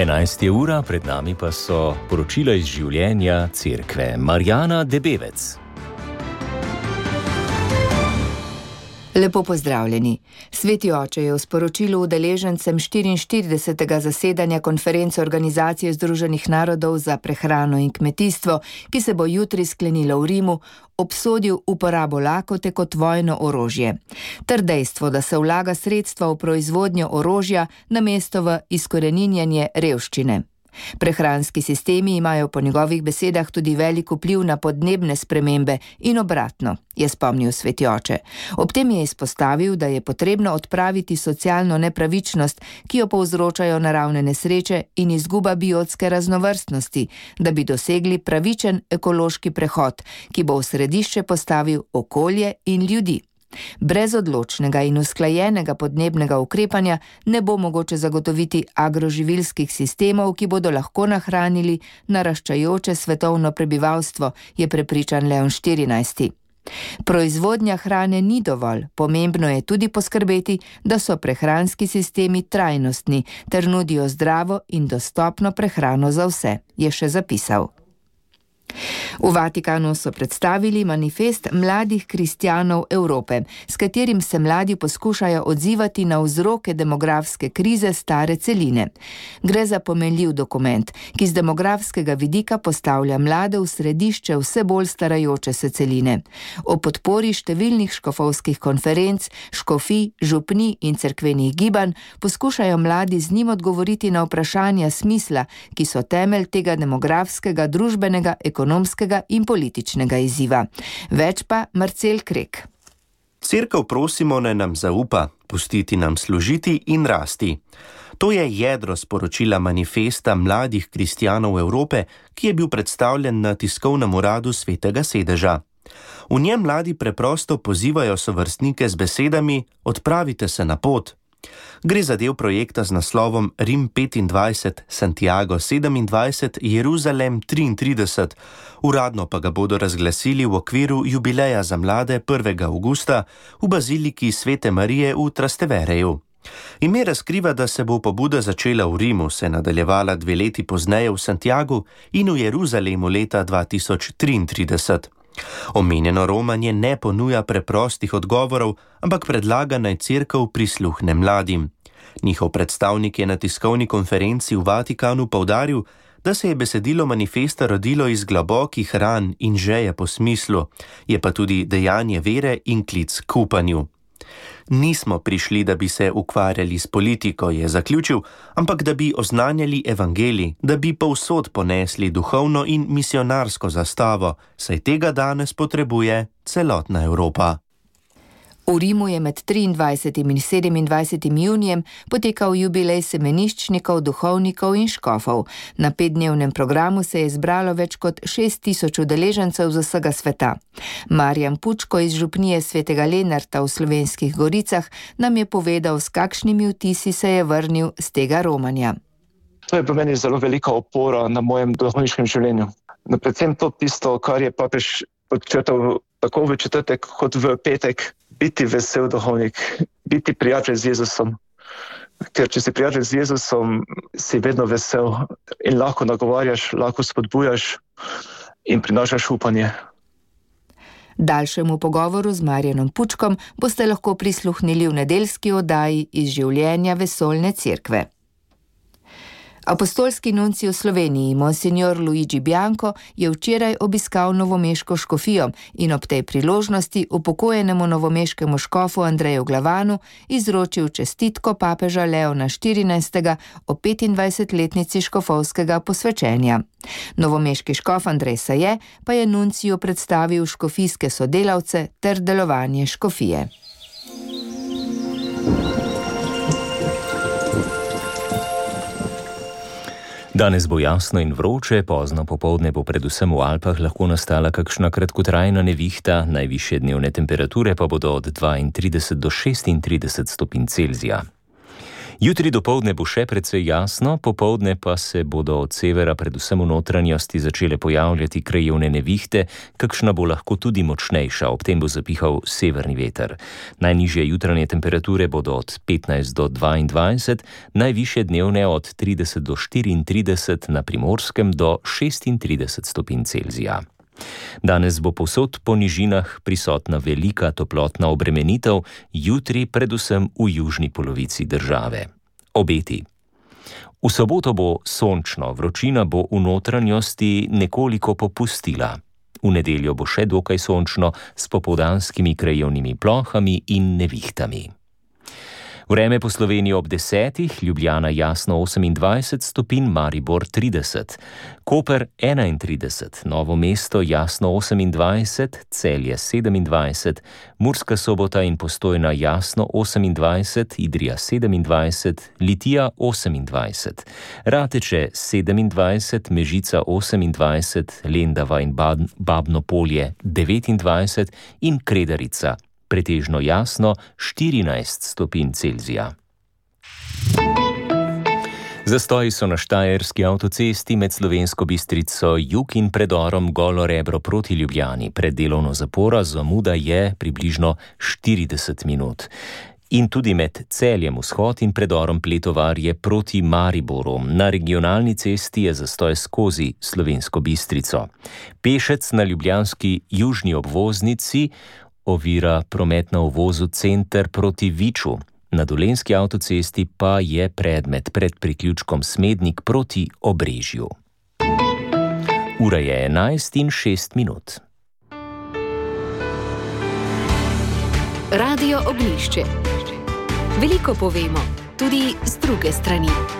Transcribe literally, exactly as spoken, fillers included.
enajsta ura, pred nami pa so poročila iz življenja cerkve. Marjana Debevec. Lepo pozdravljeni. Sveti oče je v sporočilu udeležencem štiriinštiridesetega zasedanja konference Organizacije združenih narodov za prehrano in kmetijstvo, ki se bo jutri sklenilo v Rimu, obsodil uporabo lakote kot vojno orožje. Ter dejstvo, da se vlaga sredstva v proizvodnjo orožja namesto v izkoreninjanje revščine. Prehranski sistemi imajo po njegovih besedah tudi velik vpliv na podnebne spremembe in obratno, je spomnil sveti oče. Ob tem je izpostavil, da je potrebno odpraviti socialno nepravičnost, ki jo povzročajo naravne nesreče in izguba biotske raznovrstnosti, da bi dosegli pravičen ekološki prehod, ki bo v središče postavil okolje in ljudi. Brez odločnega in usklajenega podnebnega ukrepanja ne bo mogoče zagotoviti agroživilskih sistemov, ki bodo lahko nahranili naraščajoče svetovno prebivalstvo, je prepričan Leon štirinajsti. Proizvodnja hrane ni dovolj, pomembno je tudi poskrbeti, da so prehranski sistemi trajnostni ter nudijo zdravo in dostopno prehrano za vse, je še zapisal. V Vatikanu so predstavili manifest mladih kristjanov Evrope, s katerim se mladi poskušajo odzivati na vzroke demografske krize stare celine. Gre za pomenljiv dokument, ki z demografskega vidika postavlja mlade v središče vse bolj starajoče se celine. O podpori številnih škofovskih konferenc, škofij, župnij in cerkvenih gibanj poskušajo mladi z njim odgovoriti na vprašanja smisla, ki so temelj tega demografskega, družbenega, ekonomskega in političnega izziva. Več pa Marcel Krek. Cerkev prosimo, naj nam zaupa, pustiti nam služiti in rasti. To je jedro sporočila manifesta mladih kristjanov Evrope, ki je bil predstavljen na tiskovnem uradu Svetega sedeža. V njem mladi preprosto pozivajo sovrstnike z besedami: odpravite se na pot. Gre za del projekta z naslovom Rim petindvajset, Santiago sedemindvajset, Jeruzalem triintrideset, uradno pa ga bodo razglasili v okviru jubileja za mlade prvega avgusta v baziliki Svete Marije v Trastevereju. Ime razkriva, da se bo pobuda začela v Rimu, se nadaljevala dve leti pozneje v Santiagu in v Jeruzalemu leta dva tisoč triintrideset. Omenjeno romanje ne ponuja preprostih odgovorov, ampak predlaga, naj cerkev prisluhne mladim. Njihov predstavnik je na tiskovni konferenci v Vatikanu poudaril, da se je besedilo manifesta rodilo iz globokih ran in žeje po smislu, je pa tudi dejanje vere in klic k upanju. Nismo prišli, da bi se ukvarjali s politiko, je zaključil, ampak da bi oznanjali evangelij, da bi povsod ponesli duhovno in misionarsko zastavo, saj tega danes potrebuje celotna Evropa. V Rimu je med triindvajsetim in sedemindvajsetim junijem potekal jubilej semeniščnikov, duhovnikov in škofov. Na petdnevnem programu se je zbralo več kot šest tisoč udeležencev z vsega sveta. Marjan Pučko iz župnije Svetega Lenarta v Slovenskih Goricah nam je povedal, s kakšnimi vtisi se je vrnil z tega romanja. To je po meni zelo velika opora na mojem duhovniškem življenju. No, predvsem to tisto, kar je papež podčrtal tako v četrtek kot v petek. Biti vesel duhovnik, biti prijatelj z Jezusom. Ker če si prijatelj z Jezusom, si vedno vesel in lahko nagovarjaš, lahko spodbujaš in prinašaš upanje. Daljšemu pogovoru z Marjanom Pučkom boste lahko prisluhnili v nedeljski oddaji iz življenja vesoljne cerkve. Apostolski nuncij v Sloveniji, monsignor Luigi Bianco, je včeraj obiskal novomeško škofijo in ob tej priložnosti upokojenemu novomeškemu škofu Andreju Glavanu izročil čestitko papeža Leona štirinajstega o petindvajsetletnici škofovskega posvečenja. Novomeški škof Andrej Saje pa je nunciju predstavil škofijske sodelavce ter delovanje škofije. Danes bo jasno in vroče, pozno popoldne bo predvsem v Alpah lahko nastala kakšna kratkotrajna nevihta, najvišje dnevne temperature pa bodo od dvaintrideset do šestintrideset stopinj Celzija. Jutri dopoldne bo še precej jasno, popoldne pa se bodo od severa, predvsem v notranjosti, začele pojavljati krajevne nevihte, kakšna bo lahko tudi močnejša, ob tem bo zapihal severni veter. Najnižje jutranje temperature bodo od petnajst do dvaindvajset, najvišje dnevne od trideset do štiriintrideset, na Primorskem do šestintrideset stopinj Celzija. Danes bo povsod po nižinah prisotna velika toplotna obremenitev, jutri predvsem v južni polovici države. Obeti. V soboto bo sončno, vročina bo v notranjosti nekoliko popustila. V nedeljo bo še dokaj sončno s popoldanskimi krajevnimi plohami in nevihtami. Vreme po Sloveniji ob desetih, Ljubljana jasno osemindvajset stopinj, Maribor trideset, Koper enaintrideset, Novo mesto jasno osemindvajset, Celje sedemindvajset, Murska Sobota in Postojna jasno osemindvajset, Idrija sedemindvajset, Litija osemindvajset, Rateče sedemindvajset, Mežica osemindvajset, Lendava in Babno Polje devetindvajset in Kredarica pretežno jasno štirinajst stopinj Celzija. Zastoji so na štajerski avtocesti med Slovensko Bistrico jug in predorom Golo Rebro proti Ljubljani. Pred delovno zaporo zamuda je približno štirideset minut. In tudi med Celjem vzhod in predorom Pletovarje proti Mariboru. Na regionalni cesti je zastoj skozi Slovensko Bistrico. Pešec na ljubljanski južni obvoznici ovira promet na uvozu Center proti Viču. Na dolenjski avtocesti pa je predmet pred priključkom Smednik proti Obrežju. Ura je enajst in šest minut. Radio Oglišče. Veliko povemo, tudi z druge strani.